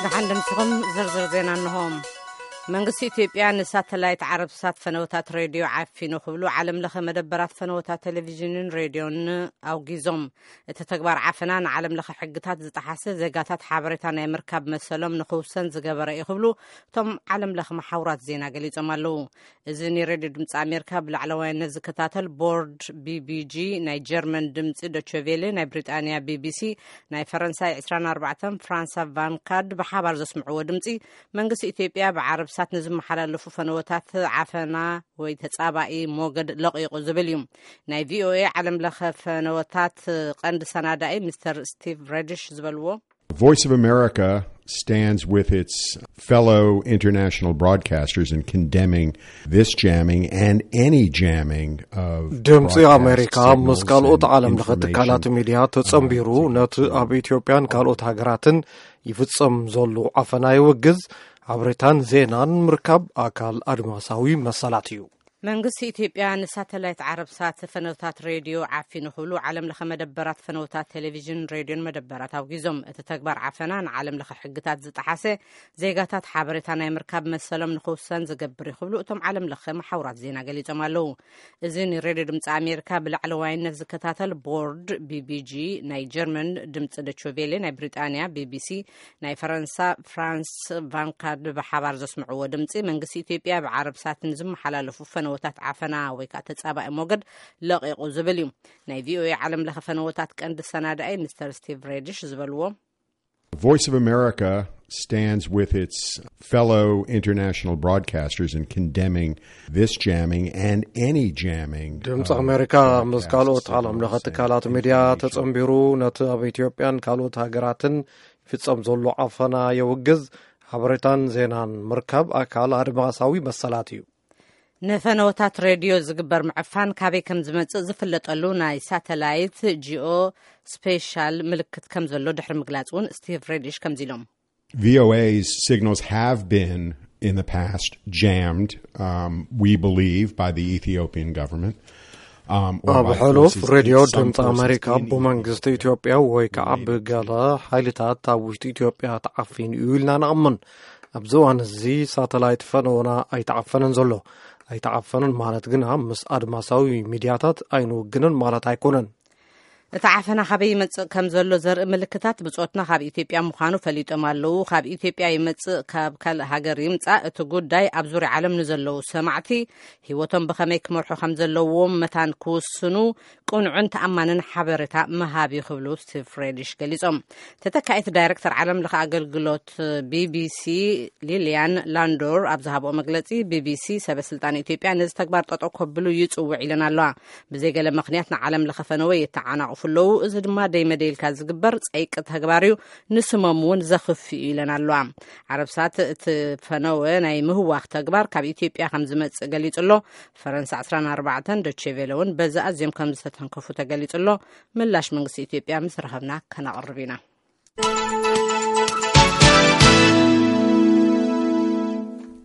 ደሓን ድምስኹም። ዝርዝር ዜና እንሆ። መንግስቲ ኢትዮጵያ ንሳተላይት ዓረብሳት ፈነወታት ሬድዮ ዓፊኑ ክብሉ ዓለም ለኸ መደበራት ፈነወታት ቴሌቪዥንን ሬድዮን ኣውጊዞም። እቲ ተግባር ዓፈና ንዓለም ለኸ ሕግታት ዝጠሓሰ፣ ዜጋታት ሓበሬታ ናይ ምርካብ መሰሎም ንኽውሰን ዝገበረ እዩ ክብሉ እቶም ዓለም ለኸ መሓውራት ዜና ገሊጾም ኣለዉ። እዚ ንሬድዮ ድምፂ ኣሜሪካ ብላዕለዋይነት ዝከታተል ቦርድ ቢቢጂ፣ ናይ ጀርመን ድምፂ ዶቸቬሌ፣ ናይ ብሪጣንያ ቢቢሲ፣ ናይ ፈረንሳይ ዕስራን ኣርባዕተን ፍራንሳ ቫንካድ ብሓባር ዘስምዕዎ ድምፂ፣ መንግስቲ ኢትዮጵያ ብዓረብሳት ንዝመሓላለፉ ፈነወታት ዓፈና ወይ ተጻባኢ ሞገድ ለቒቑ ዝብል እዩ። ናይ ቪኦኤ ዓለም ለኸ ፈነወታት ቀንዲ ሰናዳኢ ሚስተር ስቲቭ ሬድሽ ዝበልዎ። Voice of America stands with its fellow international broadcasters in condemning this jamming and any jamming of ድምፂ ኣሜሪካ ምስ ካልኦት ዓለም ለኸ ትካላት ሚድያ ተጸንቢሩ ነቲ ኣብ ኢትዮጵያን ካልኦት ሃገራትን ይፍጸም ዘሎ ዓፈና ይውግዝ። ሓበሬታን ዜናን ምርካብ ኣካል ኣድማሳዊ መሰላት እዩ። መንግስቲ ኢትዮጵያ ንሳተላይት ዓረብሳት ፈነወታት ሬድዮ ዓፊኑ ክብሉ ዓለም ለኸ መደበራት ፈነወታት ቴሌቪዥን ሬድዮን መደበራት ኣውጊዞም። እቲ ተግባር ዓፈና ንዓለም ለኸ ሕግታት ዝጠሓሰ፣ ዜጋታት ሓበሬታ ናይ ምርካብ መሰሎም ንኽውሰን ዝገብር እዩ ክብሉ እቶም ዓለም ለኸ መሓውራት ዜና ገሊጾም ኣለዉ። እዚ ንሬድዮ ድምፂ ኣሜሪካ ብላዕለዋይነት ዝከታተል ቦርድ ቢቢጂ፣ ናይ ጀርመን ድምፂ ዶችቬሌ፣ ናይ ብሪጣንያ ቢቢሲ፣ ናይ ፈረንሳ ፍራንስ ቫንካርድ ብሓባር ዘስምዕዎ ድምፂ፣ መንግስቲ ኢትዮጵያ ብዓረብሳት ንዝመሓላለፉ ፈነወታት ዓፈና ወይ ከዓ ተጻባኢ ሞገድ ለቒቑ ዝብል እዩ። ናይ ቪኦኤ ዓለም ለኸ ፈነወታት ቀንዲ ሰናዳኢ ሚስተር ስቲቭ ሬድሽ ዝበልዎ። Voice of America stands with its fellow international broadcasters in condemning this jamming and any jamming ድምፂ ኣሜሪካ ምስ ካልኦት ዓለም ለኸ ትካላት ሚድያ ተጸንቢሩ ነቲ ኣብ ኢትዮጵያን ካልኦት ሃገራትን ይፍጸም ዘሎ ዓፈና የውግዝ። ሓበሬታን ዜናን ምርካብ ኣካል ኣድማሳዊ መሰላት እዩ። ንፈነወታት ሬድዮ ዝግበር ምዕፋን ካበይ ከም ዝመጽእ ዝፍለጠሉ ናይ ሳተላይት ጂኦ ስፔሻል ምልክት ከም ዘሎ ድሕሪ ምግላጽ እውን ስቲቭ ሬድሽ ከምዚ ኢሎም። V O A's signals have been in the past jammed, um, we believe, by the Ethiopian government. Um, or ኣብ by ሕሉፍ forces ሬድዮ inside ድምፂ ኣሜሪካ ብመንግስቲ ኢትዮጵያ ወይ ከዓ ብገለ ሓይልታት ኣብ ውሽጢ ኢትዮጵያ ተዓፊኑ እዩ ኢልና ንኣምን። ኣብዚ እዋን እዚ ሳተላይት ፈነወና ኣይተዓፈነን ዘሎ። ኣይተዓፈነን ማለት ግና ምስ ኣድማሳዊ ሚድያታት ኣይንውግንን ማለት ኣይኮነን። እቲ ዓፈና ካበይ ይመጽእ ከም ዘሎ ዘርኢ ምልክታት ብጾትና ካብ ኢትዮጵያ ምዃኑ ፈሊጦም ኣለዉ። ካብ ኢትዮጵያ ይመጽእ ካብ ካልእ ሃገር ይምጻእ፣ እቲ ጉዳይ ኣብ ዙርያ ዓለም ንዘለዉ ሰማዕቲ ህይወቶም ብኸመይ ክመርሑ ከም ዘለዎም መታን ክውስኑ ቅኑዕን ተኣማንን ሓበሬታ ምሃብ እዩ ክብሉ ስቲቭ ሬድሽ ገሊጾም። ተተካኢት ዳይረክተር ዓለም ለኸ ኣገልግሎት ቢቢሲ ሊልያን ላንዶር ኣብ ዝሃብኦ መግለጺ፣ ቢቢሲ ሰበ ስልጣን ኢትዮጵያ ነዚ ተግባር ጠጠው ከብሉ ይጽውዕ ኢለን ኣለዋ። ብዘይገለ ምኽንያት ንዓለም ለኸ ፈነወ የተዓናቕፉ ኣለዉ። እዚ ድማ ደይመደይልካ ዝግበር ጸይቂ ተግባር እዩ፣ ንስሞም እውን ዘኽፍ እዩ ኢለን ኣለዋ። ዓረብሳት እቲ ፈነወ ናይ ምህዋኽ ተግባር ካብ ኢትዮጵያ ከም ዝመጽእ ገሊጹ ኣሎ። ፈረንሳ ዕስራን ኣርባዕተን ዶቼ ቬለ እውን በዚ ኣዝዮም ከም ዝተተንከፉ ተገሊጹ ኣሎ። ምላሽ መንግስቲ ኢትዮጵያ ምስ ረኸብና ከነቕርብ ኢና።